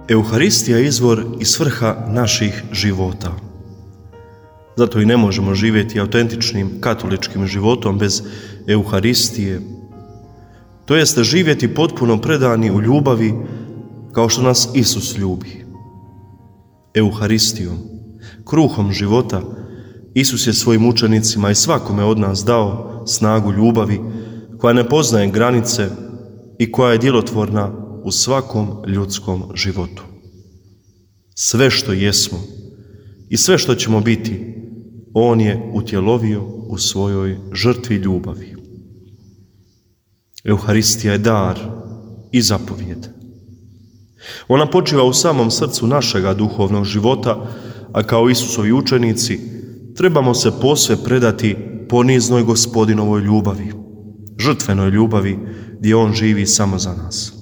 Euharistija je izvor i svrha naših života. Zato i ne možemo živjeti autentičnim katoličkim životom bez Euharistije. To jeste živjeti potpuno predani u ljubavi kao što nas Isus ljubi. Euharistijom, kruhom života, Isus je svojim učenicima i svakome od nas dao snagu ljubavi koja ne poznaje granice i koja je djelotvorna u svakom ljudskom životu. Sve što jesmo i sve što ćemo biti, On je utjelovio u svojoj žrtvi ljubavi. Euharistija je dar i zapovjed. Ona počiva u samom srcu našega duhovnog života, a kao Isusovi učenici trebamo se posve predati poniznoj Gospodinovoj ljubavi, žrtvenoj ljubavi gdje On živi samo za nas.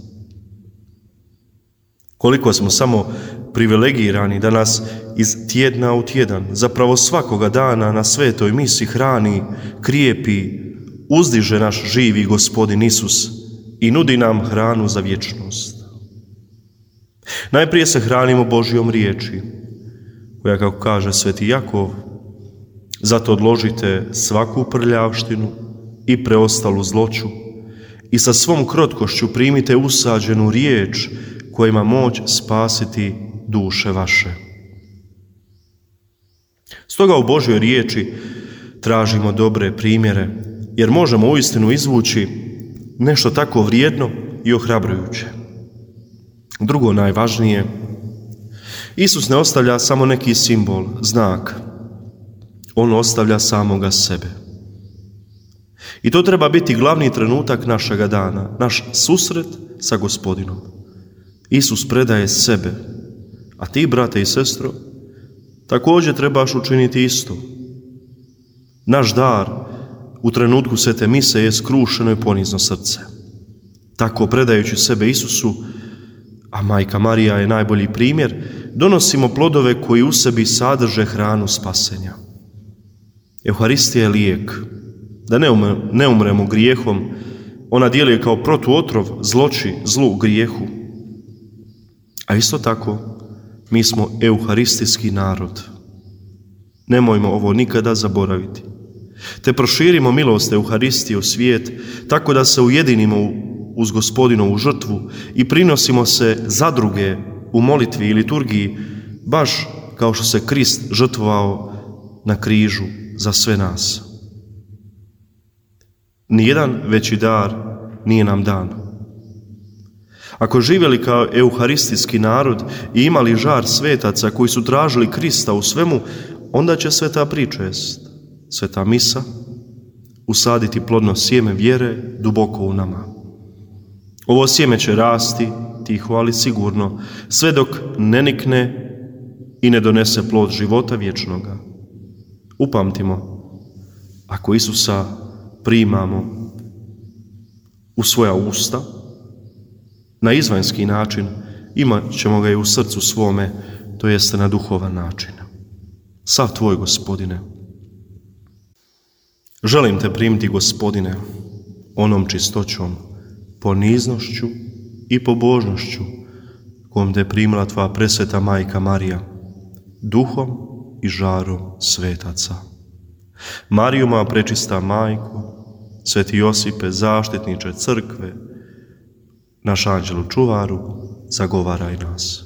Koliko smo samo privilegirani da nas iz tjedna u tjedan, zapravo svakoga dana na svetoj misi hrani, krijepi, uzdiže naš živi Gospodin Isus i nudi nam hranu za vječnost. Najprije se hranimo Božjom riječi, koja, kako kaže sveti Jakov, zato odložite svaku prljavštinu i preostalu zloću i sa svom krotkošću primite usađenu riječ koja ima moć spasiti duše vaše. Stoga u Božjoj riječi tražimo dobre primjere, jer možemo uistinu izvući nešto tako vrijedno i ohrabrujuće. Drugo najvažnije, Isus ne ostavlja samo neki simbol, znak. On ostavlja samoga sebe. I to treba biti glavni trenutak našega dana, naš susret sa Gospodinom. Isus predaje sebe, a ti, brate i sestro, također trebaš učiniti isto. Naš dar u trenutku svete mise je skrušeno i ponizno srce. Tako predajući sebe Isusu, a Majka Marija je najbolji primjer, donosimo plodove koji u sebi sadrže hranu spasenja. Euharistija je lijek, da ne umremo grijehom, ona djeluje kao protuotrov zloći, zlu, grijehu. A isto tako, mi smo euharistijski narod. Nemojmo ovo nikada zaboraviti. Te proširimo milost Euharistije u svijet, tako da se ujedinimo uz Gospodinovu žrtvu i prinosimo se za druge u molitvi i liturgiji, baš kao što se Krist žrtvovao na križu za sve nas. Nijedan veći dar nije nam dan. Ako živjeli kao euharistijski narod i imali žar svetaca koji su tražili Krista u svemu, onda će sveta pričest, sveta misa, usaditi plodno sjeme vjere duboko u nama. Ovo sjeme će rasti, tiho ali sigurno, sve dok ne nikne i ne donese plod života vječnoga. Upamtimo, ako Isusa primamo u svoja usta, na izvanjski način, imat ćemo ga i u srcu svome, to jeste na duhovan način. Sav tvoj, Gospodine. Želim te primiti, Gospodine, onom čistoćom, poniznošću i pobožnošću kojom te primila tvoja presveta Majka Marija, duhom i žarom svetaca. Mariju, moja prečista majko, sveti Josipe, zaštitniče crkve, naš anđelu čuvaru, zagovaraj nas.